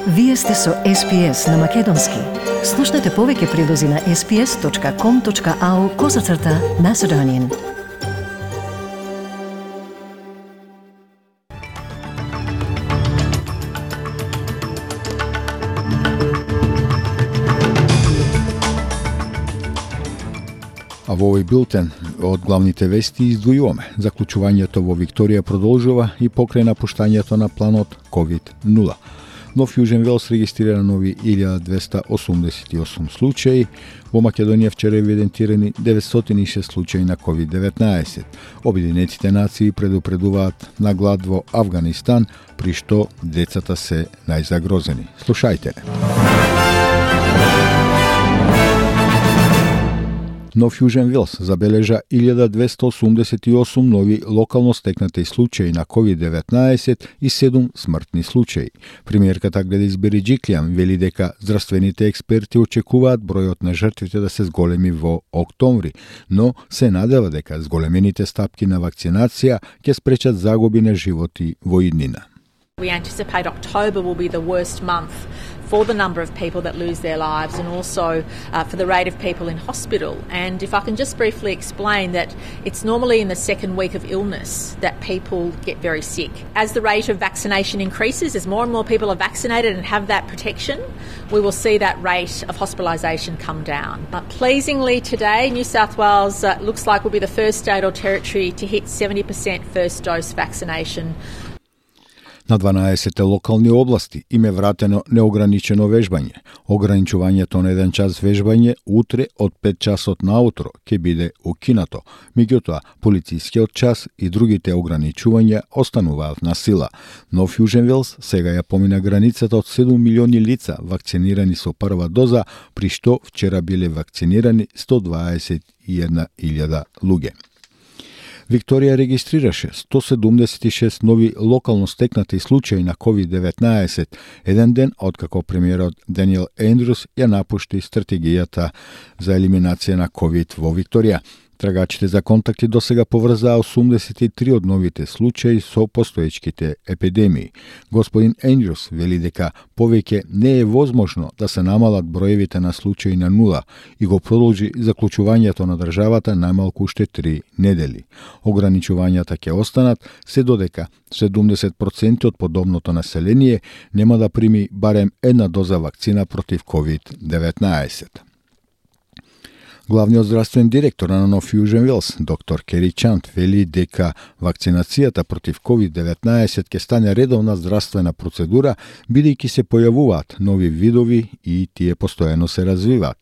Вие сте со SPS на Македонски. Слушнете повеќе прилози на sps.com.au/Macedonian. А во овој билтен од главните вести издвојуваме. Заклучувањето во Викторија продолжува и покрај напуштањето на планот COVID-0. Нов Јужен Велс регистрира нови 1288 случаи. Во Македонија вчера евидентирани 906 случаи на COVID-19. Обединетите нации предупредуваат на глад во Авганистан, при што децата се најзагрозени. Слушајте. Нов Јужен Велс забележа 1288 нови локално стекнати случаи на COVID-19 и 7 смртни случаи. Премиерката Гледис Береджиклијан вели дека здравствените експерти очекуваат бројот на жртвите да се зголеми во октомври, но се надева дека зголемените стапки на вакцинација ќе спречат загуби на животи во иднина. We anticipate October will be the worst month for the number of people that lose their lives and also for the rate of people in hospital. And if I can just briefly explain that it's normally in the second week of illness that people get very sick. As the rate of vaccination increases, as more and more people are vaccinated and have that protection, we will see that rate of hospitalisation come down. But pleasingly today, New South Wales looks like will be the first state or territory to hit 70% first dose vaccination. На 12 локални области им е вратено неограничено вежбање. Ограничувањето на 1 час вежбање утре од 5 часот наутро ќе биде укинато. Меѓутоа, полицискиот час и другите ограничувања остануваат на сила. Нов Јужен Велс сега ја помина границата од 7 милиони лица вакцинирани со прва доза, при што вчера биле вакцинирани 121.000 луѓе. Викторија регистрираше 176 нови локално стекнати случаи на COVID-19, еден ден откако премиерот Даниел Ендрус ја напушти стратегијата за елиминација на COVID во Викторија. Трагачите за контакти досега поврзаа 83 од новите случаи со постоечките епидемии. Господин Ендрус вели дека повеќе не е возможно да се намалат броевите на случаи на нула и го продолжи заклучувањето на државата најмалку уште 3 недели. Ограничувањата ќе останат се додека 70% од подобното население нема да прими барем една доза вакцина против COVID-19. Главниот здравствен директор на Нов Јужен Велс, доктор Кери Чант, вели дека вакцинацијата против COVID-19 ќе стане редовна здравствена процедура, бидејќи се појавуваат нови видови и тие постојано се развиваат.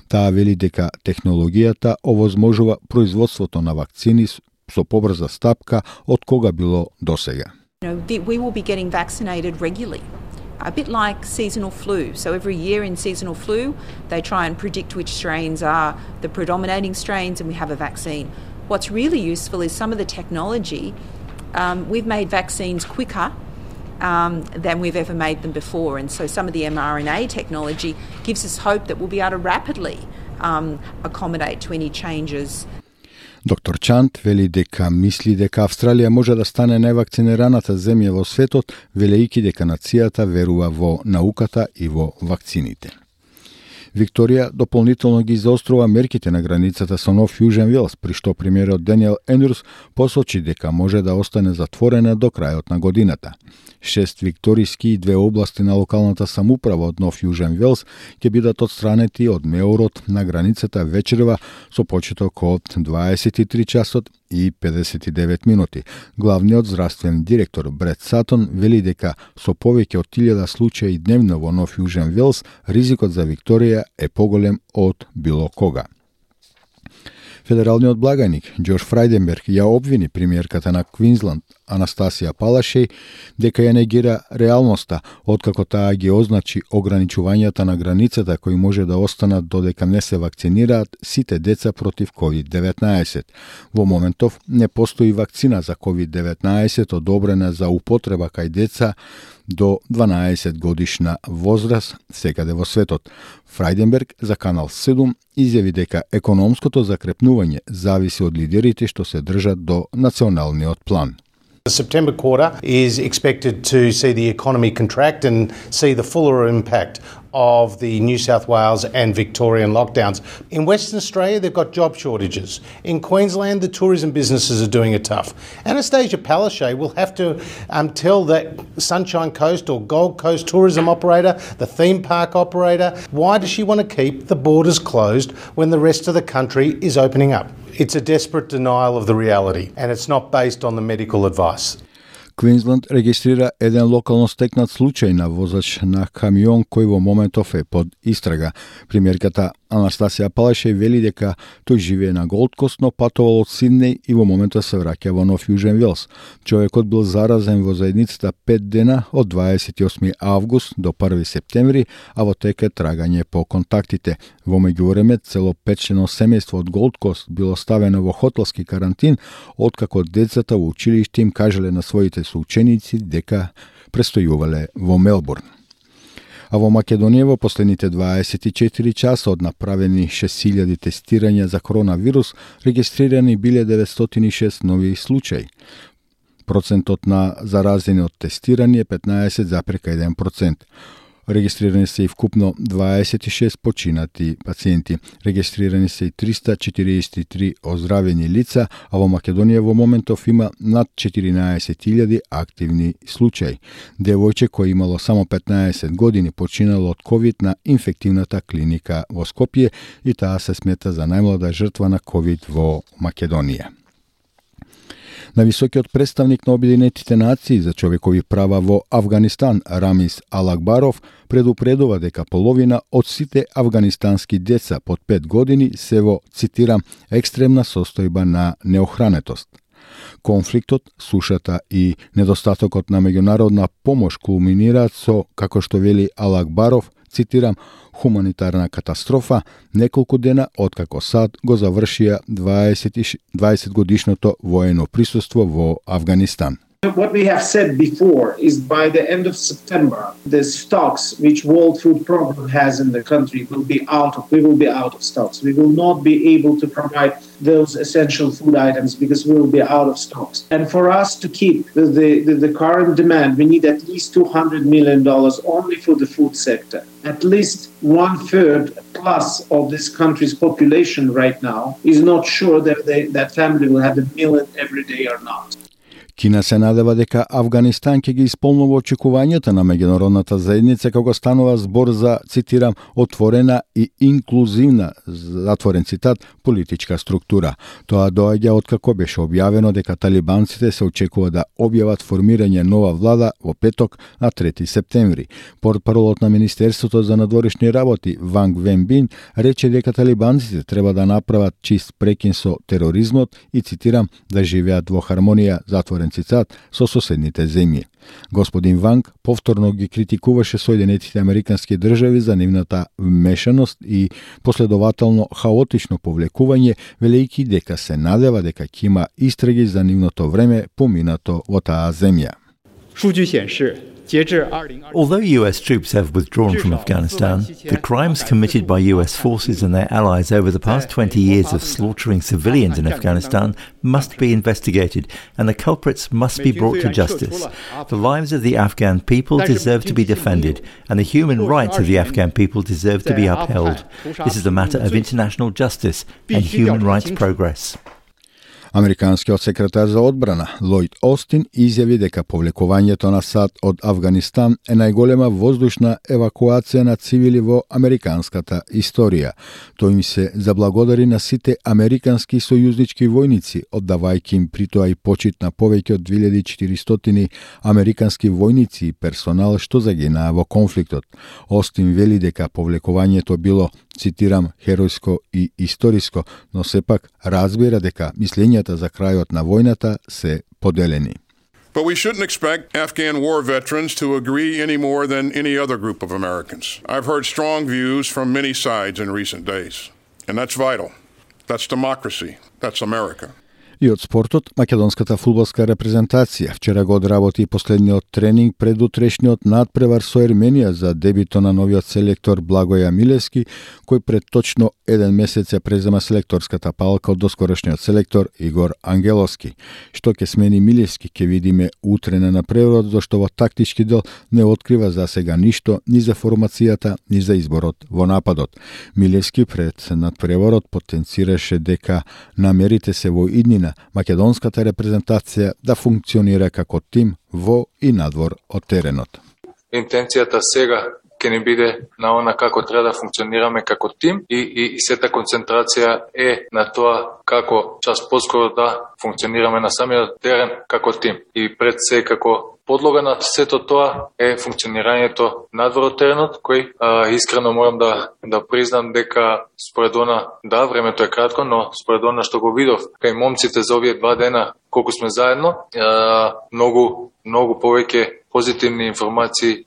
Таа вели дека технологијата овозможува производството на вакцини со побрза стапка од кога било досега. We will be getting vaccinated regularly. A bit like seasonal flu. So every year in seasonal flu, they try and predict which strains are the predominating strains and we have a vaccine. What's really useful is some of the technology. We've made vaccines quicker than we've ever made them before. And so some of the mRNA technology gives us hope that we'll be able to rapidly accommodate to any changes. Доктор Чант вели дека мисли дека Австралија може да стане највакцинираната земја во светот, велејќи дека нацијата верува во науката и во вакцините. Викторија дополнително ги заострува мерките на границата со Нов Јужен Велс, при што премиерот Даниел Ендрус посочи дека може да остане затворена до крајот на годината. 6 викториски и 2 области на локалната самоуправа од Нов Јужен Велс ќе бидат отстранети од меорот на границата вечерва со почеток од 23 часот и 59 минути. Главниот здравствен директор Брет Сатон вели дека со повеќе од 1000 случаи дневно во Нов Јужен Велс, ризикот за Викторија е поголем од било кога. Федералниот благаник Џорџ Фрајденберг ја обвини премиерката на Квинсланд Анастасија Палашеј дека ја негира реалноста откако таа ги означи ограничувањата на границата кои може да останат додека не се вакцинираат сите деца против COVID-19. Во моментов не постои вакцина за COVID-19 одобрена за употреба кај деца до 12 годишна возраст секаде во светот. Фрајденберг за Канал 7 изјави дека економското закрепнување зависи од лидерите што се држат до националниот план. The September quarter is expected to see the economy contract and see the fuller impact of the New South Wales and Victorian lockdowns. In Western Australia, they've got job shortages. In Queensland, the tourism businesses are doing it tough. Anastasia Palaszczuk will have to tell that Sunshine Coast or Gold Coast tourism operator, the theme park operator, why does she want to keep the borders closed when the rest of the country is opening up? It's a desperate denial of the reality, and it's not based on the medical advice. Квинсленд регистрира еден локално стекнат случај на возач на камион кој во моментов е под истрага. Премиерката Анастасија Палашеј вели дека тој живее на Голд Кост, но патувал од Сиднеј и во моментот се враќа во Нов Јужен Велс. Човекот бил заразен во заедницата 5 дена од 28 август до 1 септември, а во тек е трагање по контактите. Во меѓувреме, цело 5-члено семејство од Голд Кост било ставено во хотелски карантин, откако децата во училиште им кажале на своите соученици дека престојувале во Мелбурн. А во Македонија во последните 24 часа од направени 6000 тестирања за коронавирус, регистрирани биле 906 нови случаи. Процентот на заразени од тестирани е 15,1%. Регистрирани се и вкупно 26 починати пациенти. Регистрирани се и 343 оздравени лица, а во Македонија во моментов има над 14.000 активни случаи. Девојче кој имало само 15 години починало од ковид на инфективната клиника во Скопје и таа се смета за најмлада жртва на ковид во Македонија. На високиот представник на Обединетите нации за човекови права во Авганистан Рамис Алагбаров предупредува дека половина од сите авганистански деца под 5 години се во, цитирам, екстремна состојба на неохранетост. Конфликтот, сушата и недостатокот на меѓународна помош кулминираат со, како што вели Алагбаров, цитирам, хуманитарна катастрофа неколку дена откако САД го завршија 20 годишното воено присуство во Авганистан. What we have said before is by the end of September, the stocks which World Food Program has in the country we will be out of stocks. We will not be able to provide those essential food items because we will be out of stocks. And for us to keep the current demand, we need at least $200 million only for the food sector. At least 1/3 plus of this country's population right now is not sure that that family will have a meal every day or not. Кина се надева дека Авганистан ќе ги исполнува очекувањата на меѓународната заедница кога станува збор за, цитирам, отворена и инклузивна, затворен цитат, политичка структура. Тоа доаѓа откако беше објавено дека талибанците се очекува да објават формирање нова влада во петок на 3 септември. Портпаролот на Министерството за надворешни работи Ванг Венбин рече дека талибанците треба да направат чист прекин со тероризмот и, цитирам, да живеат во хармонија, затворен цитат, со соседните земји. Господин Ванг повторно ги критикуваше Соединетите Американски држави за нивната вмешаност и последователно хаотично повлекување, велејќи дека се надева дека ќе има истраги за нивното време поминато во таа земја. Although US troops have withdrawn from Afghanistan, the crimes committed by US forces and their allies over the past 20 years of slaughtering civilians in Afghanistan must be investigated, and the culprits must be brought to justice. The lives of the Afghan people deserve to be defended, and the human rights of the Afghan people deserve to be upheld. This is a matter of international justice and human rights progress. Американскиот секретар за одбрана Лојд Остин изјави дека повлекувањето на САД од Авганистан е најголема воздушна евакуација на цивили во американската историја. Тој им се заблагодари на сите американски сојузнички војници, оддавајќи им при тоа и почит на повеќе од 2400 американски војници и персонал што загинаа во конфликтот. Остин вели дека повлекувањето било, цитирам, херојско и историско, но сепак разбира дека мислењата за крајот на војната се поделени. But we shouldn't expect Afghan war veterans to agree any more than any other group of Americans. I've heard strong views from many sides in recent days, and that's vital. That's democracy. That's America. И од спортот, македонската фудбалска репрезентација вчера го одработи последниот тренинг пред утрешниот надпревар со Ерменија за дебито на новиот селектор Благоја Милевски, кој пред точно 1 месец ја презема селекторската палка од доскорошниот селектор Игор Ангеловски. Што ќе смени Милевски ќе видиме утре на надпреварот, зашто во тактички дел не открива за сега ништо ни за формацијата, ни за изборот во нападот. Милевски пред надпреварот потенцираше дека намерите се во иднина македонската репрезентација да функционира како тим во и надвор од теренот. Интенцијата сега ќе ни биде на она како треба да функционираме како тим и сета концентрација е на тоа како час поскоро да функционираме на самиот терен како тим. И пред се како подлога на сето тоа е функционирањето надвор од теренот, кој искрено морам да признам дека според она, да, времето е кратко, но според она што го видов кај момците за овие 2 дена колку сме заедно, многу повеќе позитивни информации.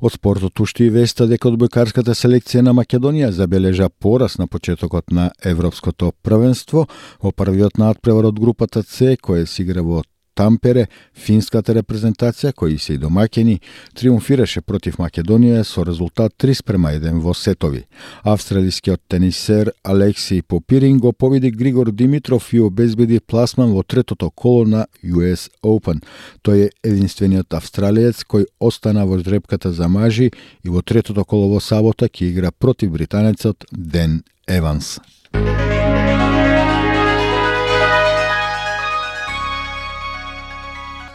Од спортот уште и веста дека одбојкарската селекција на Македонија забележа порас на почетокот на Европското првенство. Во првиот надпревар од групата С, која се игра во Тампере, финската репрезентација, кои се и домаќини, триумфираше против Македонија со резултат 3:1 во сетови. Австралискиот тенисер Алекси Попирин го победи Григор Димитров и обезбеди пласман во третото коло на US Open. Тој е единствениот австралиец кој остана во жребката за мажи и во третото коло во сабота ќе игра против британецот Ден Еванс.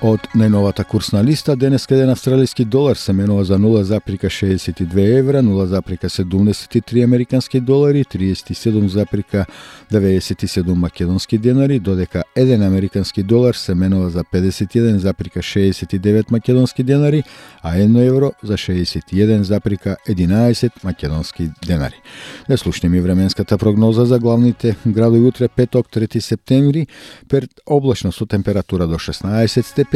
Од најновата курсна листа, денес еден австралиски долар се менува за 0,62 евра, 0,73 американски долари, 37,97 македонски денари, додека еден американски долар се менува за 51,69 македонски денари, а 1 евро за 61,11 македонски денари. Да слушнеме временската прогноза за главните градови утре петок 3 септември, пред облачно со температура до 16 степени,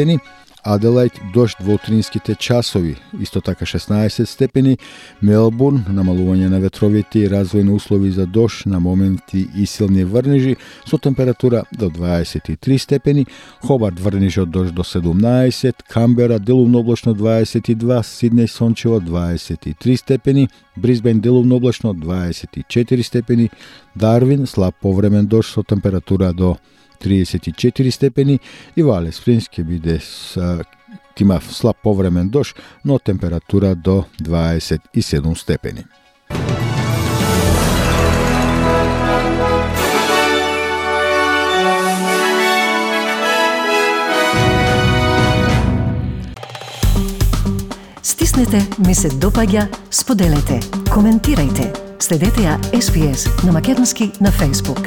Аделајд дожд во утринските часови, исто така 16 степени, Мелбурн намалување на ветровите и развојни услови за дожд на моменти и силни врнежи со температура до 23 степени, Хобарт врнежи од дожд до 17, Камбера делумно облачно 22, Сиднеј сончево 23 степени, Брисбен делумно облачно 24 степени, Дарвин слаб повремен дожд со температура до 34 степени и во Алис Спрингс ќе биде има слаб повремен дожд, но температура до 27 степени. Стиснете, ми се допаѓа, споделете, коментирајте. Следете ја SPS на македонски на Facebook.